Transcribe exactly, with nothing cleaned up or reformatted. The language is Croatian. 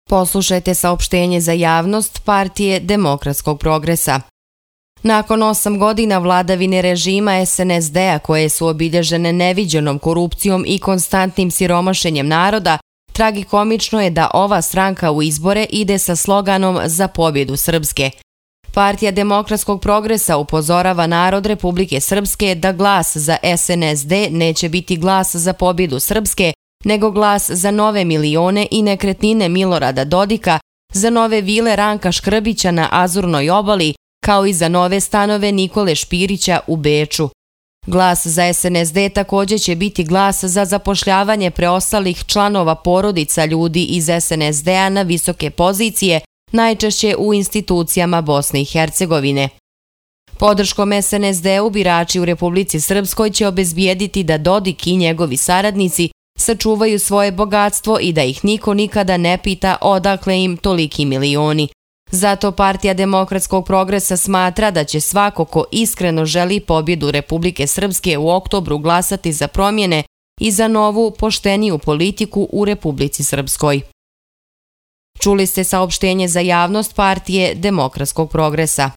Poslušajte saopštenje za javnost Partije demokratskog progresa. Nakon osam godina vladavine režima es en es de-a koje su obilježene neviđenom korupcijom i konstantnim siromašenjem naroda, tragikomično je da ova stranka u izbore ide sa sloganom Za pobjedu Srpske. Partija demokratskog progresa upozorava narod Republike Srpske da glas za es en es de neće biti glas za pobjedu Srpske, nego glas za nove milione i nekretnine Milorada Dodika, za nove vile Ranka Škrbića na Azurnoj obali, kao i za nove stanove Nikole Špirića u Beču. Glas za es en es de također će biti glas za zapošljavanje preostalih članova porodica ljudi iz es en es de-a na visoke pozicije, najčešće u institucijama Bosne i Hercegovine. Podrškom es en es de-u birači u Republici Srpskoj će obezbijediti da Dodik i njegovi saradnici sačuvaju svoje bogatstvo i da ih niko nikada ne pita odakle im toliki milioni. Zato Partija demokratskog progresa smatra da će svako ko iskreno želi pobjedu Republike Srpske u oktobru glasati za promjene i za novu, pošteniju politiku u Republici Srpskoj. Čuli ste saopštenje za javnost Partije demokratskog progresa.